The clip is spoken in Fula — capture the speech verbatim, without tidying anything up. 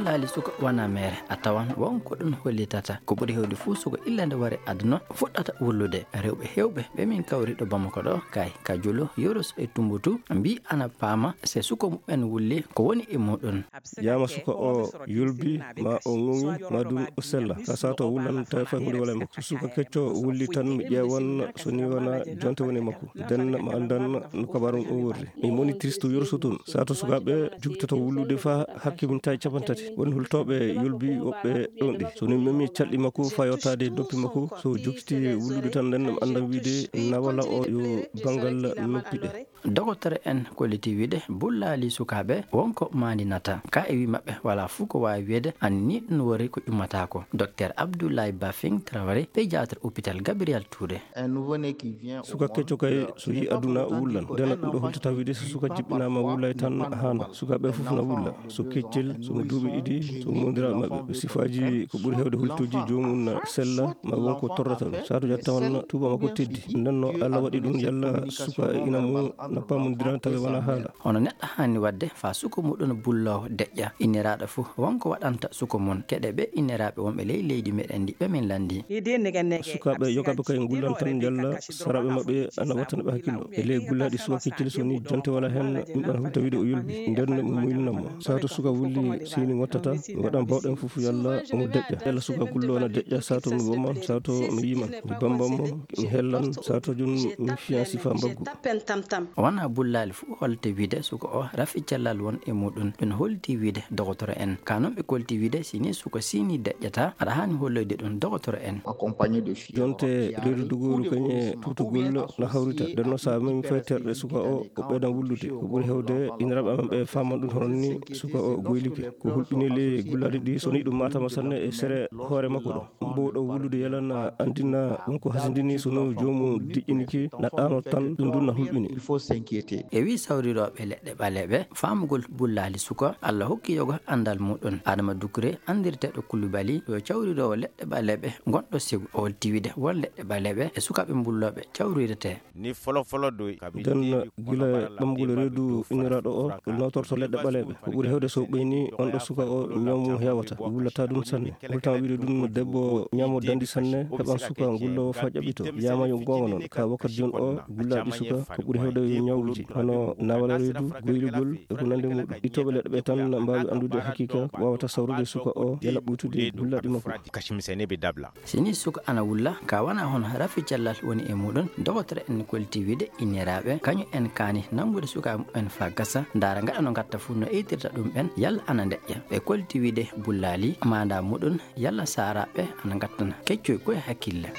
Laali suka wona meere, a tawan won ko ɗum hollitata. Ko ɓuri heewde fuu, suka illa nde wari aduna fuɗɗata wullude. Rewɓe heewɓe ɓe min kawri ɗo Bamako ɗo, kay ka Jolo, Yoros e Tumbutu, mbii ana paama se suka mumen wulli ko woni e muɗum. Yama suka o yulbi, ma o ŋuŋi, ma dun o sella. Ka sato wulan tawi fay hunde wala e makko. So suka kecco wulli tan, mi ƴeewan so ni wona jonte woni e makko. Den ma andan no kabaru on worri. Mi moni triste Yoros tun. Sato sukaɓe jugtoto wullude fa hakke min tawi capanɗe tati. Woni hultoɓe yulbi woɓɓe ɗon ɗi. So ni memi calɗi makko fa yottade doppi makko. So jugti wullude tan, nden mi andan wiide na wala o yo bangal noppi ɗe. Dogotoro en kolliti wiide bullaali sukaaɓe wonko maandinata. Ka e wi maɓɓe wala fuu ko waawi wiyeede an ni ɗum wori ko ƴummataako. Docteur Abdoulaye Bafing Traoré, pédiatre hôpital Gabriel Touré. Suka kecco kay so yi aduna wullan. Ndena ɗum ɗo holtata wiide so suka jiɓɓinaama wullay tan haana. Sukaaɓe fof na wulla. So keccel, so mo duuɓi ɗiɗi, so mo mondiral maɓɓe. Sifaaji ko ɓuri heewde hultuuji joomum na sella, ma won ko torrata ɗum. Saatu jatta on tuuba makko teddi. Nden no Allah waɗi ɗum yalla suka e ina mum na pamondira tawi wona haala. Hono neɗɗo haani waɗde fa suka muɗum bulloowo deƴƴa. Inniraaɗo fof won ko waɗanta suka mum. Keɗe ɓe inniraaɓe wonɓe ley leydi meɗen ndi ɓe min lanndi. Sukaaɓe yogaaɓe kay ngullan tan njalla saraaɓe maɓɓe ana wattana ɓe hakkillo. E ley gullaaɗi suka keccel so ni jonte wala heen, ɗum ɗon hulta wiide o yolbi. Nden no mo muynanam mo. Sato suka wulli sini ngottata, mi waɗan bawɗen fof yalla omo deƴƴa. Yalla suka gullo ana deƴƴa, sato mi woman, sato mi yiman. Mi bamban mo, mi hellan, sato jun mi fiyan sifa mbaggu. Wona bullaali fof holte wiide suka o rafi cellal won e muɗum. Ɗum holti wiide dogotoro en. Ka non ɓe kolti wiide si ni suka sini deƴƴata, aɗa haani holloyde ɗum dogotoro en. Jonte reedu dogooru kañe tutugol na hawrita. Nden no sa memi fay terɗe suka o, o ɓeydan wullude. Ko ɓuri hewde iniraɓe amen ɓe faman ɗum hono ni suka o goylike. Ko hulɓini ley gullaɗi ɗi so ni ɗum matama sanne e sere hoore makko ɗo. Mbowɗo wullude yalan andina won ko hasindini so no joomum diƴƴiniki na ɗaano tan ɗum ɗum na hulɓini. E wi sawrirooɓe leɗɗe ɓaleeɓe, faamugol bullaali suka, Allah hokki yoga anndal muɗum. Adama Dukure, anndirteeɗo Kulubali, yo cawriroowo leɗɗe ɓaleeɓe gonɗo Segu, o holti wiide won leɗɗe ɓaleeɓe e sukaaɓe bullooɓe cawrirete. Ni folo folo doy. Nden gila ɓamgol reedu inniraaɗo o, ɗum nawtorto leɗɗe ɓaleeɓe. Ko ɓuri hewde so ɓeyni on ɗo suka o, ñaw mum heewata, wullata ɗum sanne. Hultama wiide ɗum debbo ñaamo dandi sanne, heɓan suka gullowo fa ƴaɓɓito. Yama yo goonga noon, ka wakkati jooni o, gullaaɗi suka ko ɓuri hewde yo ñawluji, hono nawal reedu, goylugol, e ko nandi muɗum. Ittooɓe leɗɗe ɓe tan mbaawi anndude haqiqa ko waawata sawrude suka o, yala ɓuytude gullaaɗi makko. Si ni suka ana wulla, ka wona hono rafi cellal woni e muɗum, dogotoro en kolti wiide inniraaɓe, kañum en kaani nanngude sukaaɓe mumen fa gasa, ndaara ngaɗa no ngatta fuu no eytirta ɗum ɓen, yalla ana deƴƴa. Ɓe kolti wiide bullaali, maanda muɗum, yalla saaraaɓe ana ngattana keccoy koye hakkille.